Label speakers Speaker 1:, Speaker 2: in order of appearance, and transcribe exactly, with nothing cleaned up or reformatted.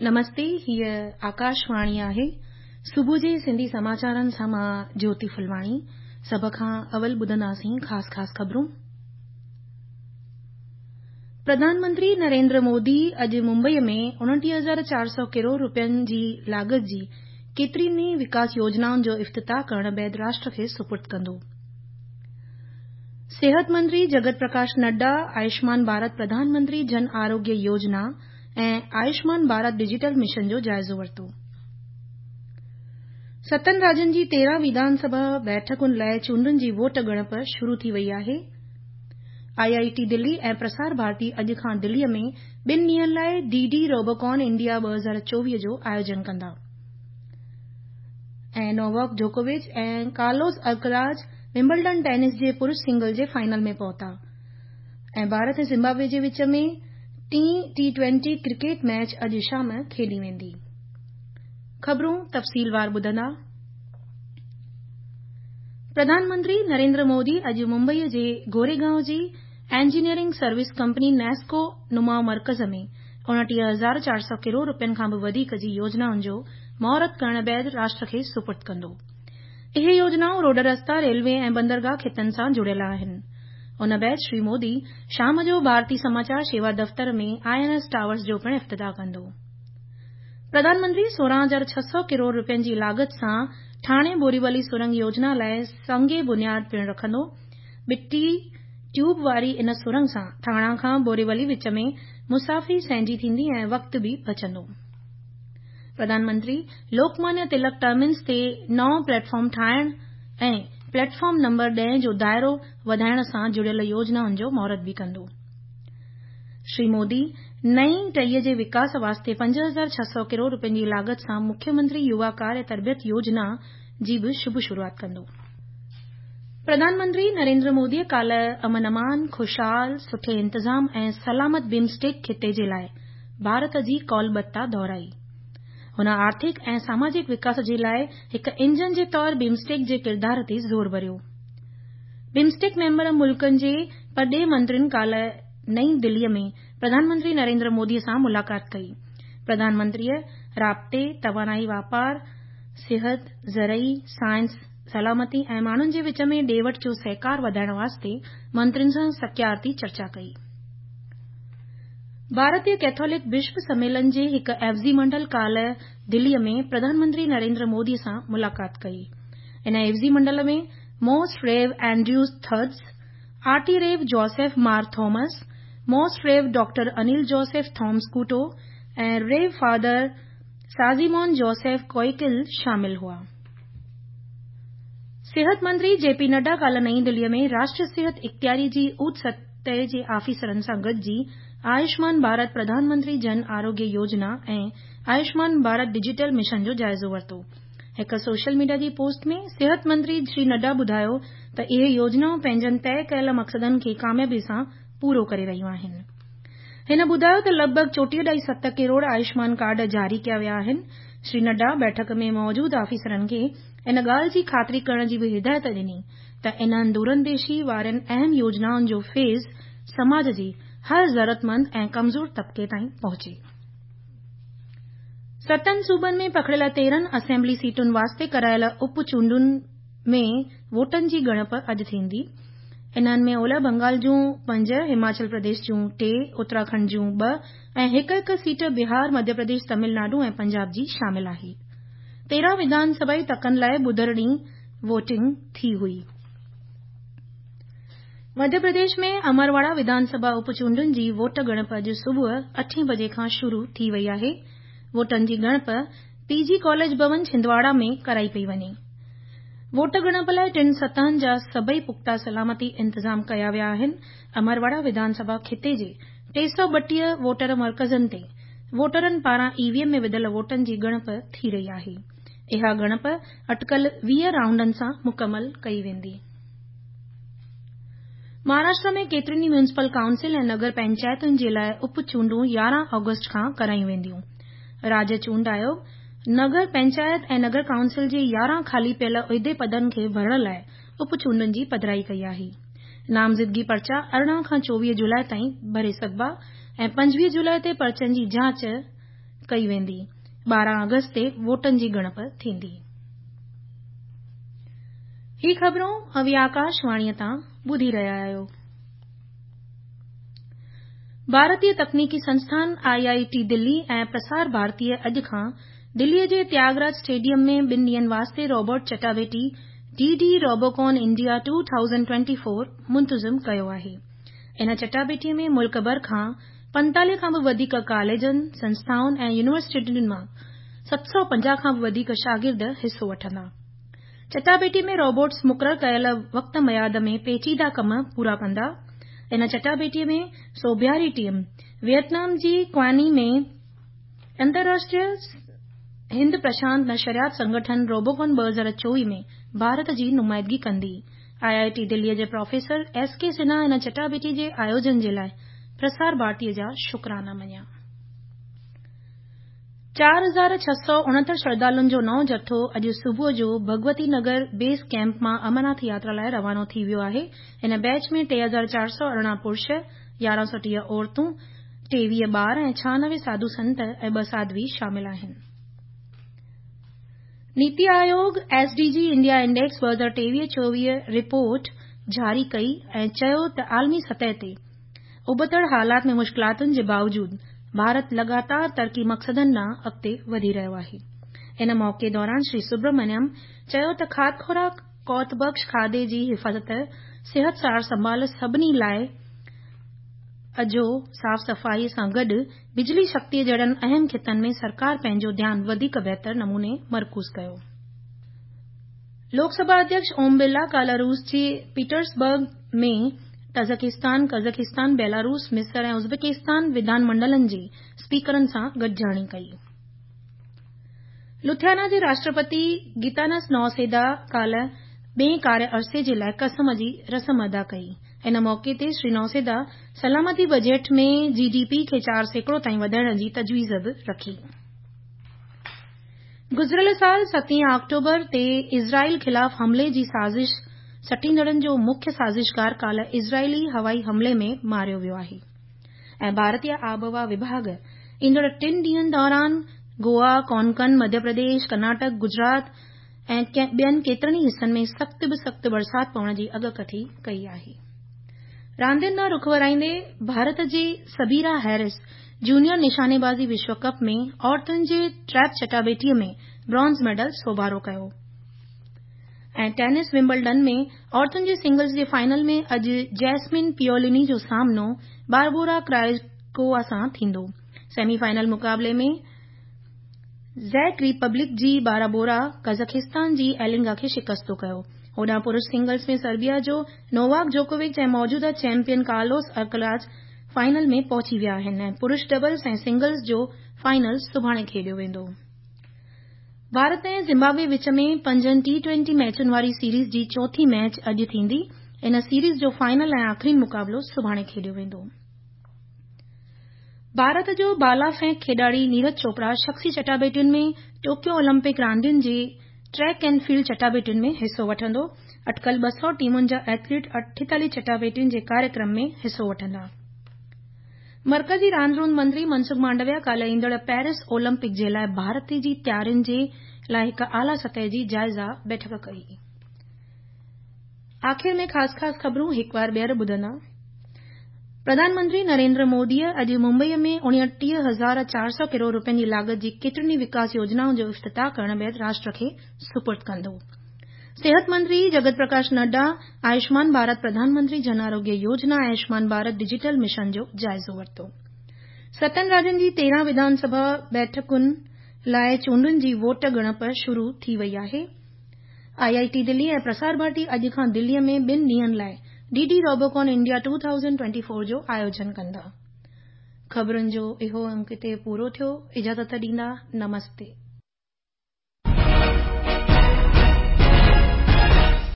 Speaker 1: نمستي، هيء آڪاشواڻي آهي. صبح جي سنڌي سماچارن سان مان جيوتي ڦلواڻي. سڀ کان اول ٻڌنداسين خاص خاص خبرون. پرڌان منتري نريندر مودي اڄ ممبئيء ۾ اڻٽيهه هزار چار سؤ ڪروڙ رپين جي لاڳت جي ڪيترين ئي وڪاس يوجنائن جو افتتاح ڪرڻ بعد راشٽر کي سپرد ڪندو. صحت منتري جگت پرڪاش نڊا آيوشمان ڀارت پرڌان منتري جن آروگيه يوجنا ۽ آيوشمان ڀارت ڊجيٽل مشن جو جائزو ورتو. ستن راجين جي تيرهن وڌان سڀا بيٺڪن لاءِ چونڊن جي ووٽ ڳڻپ شروع ٿي وئي آهي. I I ٽي دلي ۽ پرسار ڀارتي اڄ کان دليء ۾ ٻن ڏينهن لاءِ ڊي ڊي روبوڪان انڊيا ٻه هزار چوويهه جو آيوجن ڪندا. ۽ نوواڪ جوڪووچ ۽ ڪارلوس الڪراز ومبلڊن ٽينس جي پرش سنگل جي فائنل ۾ پهتا. ۽ ڀارت ۽ زمبابوي جي وچ ۾ ٽين ٽي ٽوئنٽي ڪرڪيٽ ميچ اڄ شام کيڏي ويندي. خبرون تفصيلوار ٻڌندا. پرڌان منتري نريندر مودي اڄ ممبئيء جي گوريگائون جي انجنيئرنگ سروس ڪمپني نيسڪو نماءُ مرڪز ۾ اڻٽيهه هزار چار سؤ ڪروڙ رپين کان به وڌيڪ جي يوجنائن جو مهورت ڪرڻ بعد راشٽر کي سپرد ڪندو. اهي يوجنائون روڊ رستا، ريلوي ۽ بندرگاهه کيتن سان جڙيل آهن. ان بعد شري مودي شام جو ڀارتي سماچار شيوا دفتر ۾ I N S towers جو پڻ افتتاح ڪندو. پرڌان منتري سورهن هزار ڇهه سؤ ڪروڙ رپين جي لاڳت سان ٺاڻي بوريولي سرنگ يوجنا لاءِ سنگ بنياد پڻ رکندو. ٻٽي ٽيوب واري ان سرنگ سان ٿاڻا کان بوريولي وچ ۾ مسافري سهنجي ٿيندي ۽ وقت به بچندو. پرڌان منتري لوڪمانيه تلڪ ٽرمينس تي نئون پليٽ فارم ٺاهڻ ۽ پليٽ فارم نمبر ڏهه جو دائرو وڌائڻ سان جڙيل يوجنائن جو مهورت به ڪندو. شري مودي نئين ٽهيءَ جي وڪاس واسطي پنج هزار ڇهه سؤ ڪروڙ رپين جي لاڳت سان مکيه منتري يووا ڪاريه تربيت يوجنا جي به شڀ شروعات ڪندو. پرڌان منتري نريندر موديءَ ڪالهه امن امان، خوشحال، سٺي انتظام ۽ سلامت بمسٽيڪ خطي جي لاءِ ڀارت جي ڪالبتا دهرائي. هن آرٿڪ ۽ ساماجڪ وڪاس جي لاءِ هڪ انجن جي طور بمسٽيڪ جي ڪردار تي زور ڀريو. بمسٽيڪ ميمبر ملڪن جي پرڏيهه منترين ڪالهه نئين دليء ۾ پرڌان منتري نريندر موديءَ سان ملاقات ڪئي. پرڌان منتريءَ رابطي، توانائي، واپار، صحت، زرعي، سائنس، سلامتي ۽ ماڻهن جي وچ ۾ ڏي وٺ جو سهڪار وڌائڻ واسطي منترين سان سڪيارتي چرچا ڪئي. ڀارتيه ڪيٿولڪ بشپ سميلن جي هڪ عيوضي منڊل ڪالهه دليء ۾ پرڌان منتري نريندر موديءَ سان ملاقات ڪئي. ان عيوضي منڊل ۾ Most Rev Andrews Thirds, R T Rev Joseph Mar Thomas, Most Rev doctor Anil Joseph Thomas Kuttu ۽ Rev Father Sajimon Joseph Koyickal شامل هئا. صحت منتري جي پي نڊا ڪالهه نئين دليء ۾ راشٽريه صحت اختياري جي اوچ سطح جي آفيسرن سان گڏجي آيوشمان ڀارت پرڌان منتري جن آروگيه يوجنا ۽ آيوشمان ڀارت ڊجيٽل مشن جو جائزو ورتو. هڪ سوشل ميڊيا جي پوسٽ ۾ صحت منتري شري نڊا ٻڌايو ته اهي يوجنائون پنهنجن طئي ڪيل مقصدن کي ڪاميابي سان پورو ڪري رهيون آهن. هن ٻڌايو ته لڳ ڀڳ چوٽيهه ڏهائي ست ڪروڙ آيوشمان ڪارڊ جاري ڪيا ويا آهن. شري نڊا بيٺڪ ۾ موجود آفيسرن کي ان ڳالهه جي خاطري ڪرڻ جي به هدايت ڏني ته انهن دورانديشي وارين اهم يوجنائن جو فيض سماج جي هر ضرورتمند ۽ ڪمزور طبقي تائين پهچي. ستن صوبن ۾ پکڙيل تيرهن اسيمبلي سيٽن واسطي ڪرايل اپ چونڊن ۾ ووٽن جي ڳڻپ اڄ ٿيندي. انهن ۾ اولهه بنگال جون پنج، هماچل پرديش جون ٽي، اتراکنڊ جون ٻه ۽ هڪ هڪ سيٽ بهار، مڌيه پرديش، تامل ناڊو ۽ پنجاب جي شامل آهي. تيرهن وڌان سڀائي تڪن لاءِ ٻڌر ڏينهن ووٽنگ ٿي هئي. مڌيه پرديش ۾ امرواڙا وڌان سڀا اپ چونڊن جي ووٽ ڳڻپ اڄ صبح اٺين بجي کان شروع ٿي وئي آهي. ووٽن جي ڳڻپ پي جي ڪاليج ڀون ڇندواڙا ۾ ڪرائي پئي وڃي. ووٽ ڳڻپ لاءِ ٽن سطحن جا سڀئي پختا سلامتي انتظام ڪيا ويا آهن. امرواڙا وڌان سڀا خطي جي ٽي سؤ ٻٽيهه ووٽر مرڪزن تي ووٽرن پاران اي وي ايم ۾ وڌل ووٽن جي ڳڻپ ٿي رهي آهي. اها ڳڻپ اٽڪل ويهه رائونڊن سان مڪمل ڪئي ويندي. مهاراشٽر ۾ ڪيترين ئي ميونسپل ڪائونسل ۽ نگر پئنچائتن جي لاءِ اپ چونڊون يارهن آگسٽ کان ڪرايون وينديون. راجيه چونڊ آيوگ نگر پئنچائت ۽ نگر ڪائونسل جي يارهن خالي پيل عهدي پدن کي ڀرڻ لاءِ اپ چونڊن جي پڌرائي ڪئي آهي. نامزدگي پرچا ارڙهن کان چوويهه جولاءِ تائين ڀري سگهبا ۽ پنجويهه جولاءِ تي پرچن جي جاچ ڪئي ويندي. ٻارهن آگسٽ تي ووٽن جي ڳڻپ ٿيندي. هي خبرون اوهين آڪاشواڻيء تان ٻڌي رهيا آهيو. ڀارتيه تڪنيڪي سنسٿان I I ٽي دلي ۽ پرسار ڀارتيء اڄ کان دليء جي تياگراج اسٽيڊيم ۾ ٻن ڏينهن واسطي روبوٽ چٽاڀيٽي D D Robocon India two thousand twenty four منتظم ڪيو آهي. ان چٽاڀيٽيء ۾ ملڪ ڀر کان پنتاليهه کان به وڌيڪ ڪاليجن، سنسٿائن ۽ يونيورسٽين مان ست سؤ پنجاهه کان به وڌيڪ شاگرد حصو وٺندا. چٽاڀيٽيء ۾ روبوٽس مقرر ڪيل وقت ميعاد ۾ پيچيده ڪم پورا ڪندا. ان چٽاڀيٽيء ۾ سوڀياري ٽيم ويٽنام جي ڪواني ۾ انترراشٽريه هند پرشانت نشريات سنگٺن روبوڪون ٻه هزار چوويهه ۾ ڀارت جي نمائندگي ڪندي. I I ٽي دليء جي پروفيسر ايس ڪي سنها ان چٽاڀيٽيء جي آيوجن جي لاء پرسار ڀارتيء جا شڪرانا مڃيا. چار هزار ڇهه سؤ اڻهتر شرڌالن جو نئون جٿو اڄ صبح جو ڀڳوتي نگر بيس ڪئمپ مان امرناٿ ياترا لاء روانو ٿي ويو آهي. ان بيچ ۾ ٽي هزار چار سؤ ارڙهن پرش، يارهن سؤ ٽيهه عورتون، ٽيويهه ٻار ۽ ڇهانوي ساڌو سنت ۽ ٻه ساڌوي شامل آهن. NITI Aayog S D G India index ٻه هزار ٽيويهه چوويهه رپورٽ جاري ڪئي ۽ چيو ته عالمي سطح تي ابتڙ حالات ۾ مشڪلاتن جي باوجود ڀارت لڳاتار ترقي مقصدن ڏانهن اڳتي وڌي رهيو آهي. ان موقعي دوران شري سبرامنيم چيو ته کاڌ خوراڪ، قوت بخش کاڌي جي حفاظت، صحت سار سنڀال، سڀني لاء اجهو، صاف صفائي سان گڏ بجلي شڪتيء جهڙن اهم خطن ۾ سرڪار پنهنجو ڌيان وڌيڪ بهتر نموني مرڪوز ڪيو. لوڪ سڀا اڌيڪش اوم برلا ڪالهه روس جي پيٽرسبرگ ۾ تاجڪستان، قزاقستان، بيلاروس، مصر ۽ ازبڪستان وڌان منڊلن جي اسپيڪرن سان گڏجاڻي ڪئي. لٿوانيا جي راشٽرپتي گيتانس نوسيدا ڪالهه ٻئين ڪاريه عرصي جي لاء قسم جي رسم ادا ڪئي. ان موقعي تي شري نوسيدا سلامتي بجيٽ ۾ جي ڊي پي کي چار سيڪڙو تائين وڌائڻ جي تجويز به رکي. گذريل سال ستين آڪٽوبر تي اسرائيل خلاف حملي جي سازش سٽيندڙن جو مکيه سازشگار ڪالهه اسرائيلي هوائي حملي ۾ ماريو ويو آهي ۽ ڀارتيه آبهوا وڀاڳ ايندڙ ٽن ڏينهن دوران گوا، ڪونڪن، مڌيه پرديش، ڪرناٽڪ، گجرات ۽ ٻين ڪيترن ئي حصن ۾ سخت به سخت برسات پوڻ جي اڳڪٿي ڪئي آهي. راندين ڏانهن رخ ورائيندي ڀارت جي سبيرا هيرس جونيئر نشانيبازي وشو ڪپ ۾ عورتن جي ٽريپ چٽاڀيٽيء ۾ برانز ميڊل سوڀارو ڪيو ۽ ٽينس ومبلڊن ۾ عورتن جي سنگلز جي فائنل ۾ اڄ جيسمين پيوليني جو سامنو باربورا ڪرائيڪووا سان ٿيندو. سيمي فائنل مقابلي ۾ زيڪ ريپبلڪ جي باربورا قزاقستان جي ايلنگا کي شڪستو ڪيو. هوڏانهن پرش سنگلز ۾ سربيا جو نوواڪ جوڪووڪ ۽ موجوده چيمپيئن ڪارلوس الڪراز فائنل ۾ پهچي ويا آهن ۽ پرش ڊبلز ۽ سنگلز جو فائنل سڀاڻي کيڏيو ويندو. ڀارت ۽ زمبابوي وچ ۾ پنجن ٽي ٽوئنٽي ميچن واري سيريز جي چوٿين ميچ اڄ ٿيندي. ان سيريز جو فائنل ۽ آخرين مقابلو سڀاڻي کيڏيو ويندو. ڀارت جو بالا ڦينڪ کيڏاڙي نيرج چوپڙا شخصي چٽاڀيٽين ۾ ٽوڪيو اولمپڪ راندين جي ٽريڪ اينڊ فيلڊ چٽاڀيٽين ۾ حصو وٺندو. اٽڪل ٻه سؤ ٽيمن جا ايٿليٽ اٺيتاليهه چٽاڀيٽين جي ڪاريڪرم ۾ حصو وٺندا. مرڪزي راند روند منتري منسک مانڊويا ڪالهه ايندڙ پيرس اولمپڪ جي لاء ڀارت جي تيارين جي لاء هڪ اعليٰ سطح جي جائزه بيٺڪ ڪئي. آخر ۾ خاص خاص خبرون هڪ وار ٻيهر ٻڌندا. پرڌان منتري نريندر موديء اڄ ممبئيء ۾ اڻٽيهه هزار چار سؤ ڪروڙ رپين جي لاڳت جي ڪيترين ئي وڪاس يوجنائن جو افتتاح ڪرڻ بعد راشٽر کي سپرد ڪندو. صحت منتري جگت پرڪاش نڊا آيوشمان ڀارت پرڌان منتري جن آروگيه يوجنا ۽ آيوشمان ڀارت ڊجيٽل مشن جو جائزو ورتو. ستن راجين جي تيرهن وڌان سڀا بيٺڪن لاء چونڊن جي ووٽ ڳڻپ شروع ٿي وئي آهي. I I T Delhi ۽ Prasar Bharati اڄ کان دليء ۾ ٻن ڏينهن لاء D D Robocon India two thousand twenty four جو آيوجن ڪندا. خبرن جو اهو انڪ هتي پورو ٿيو. اجازت ڏيندا. نمستي.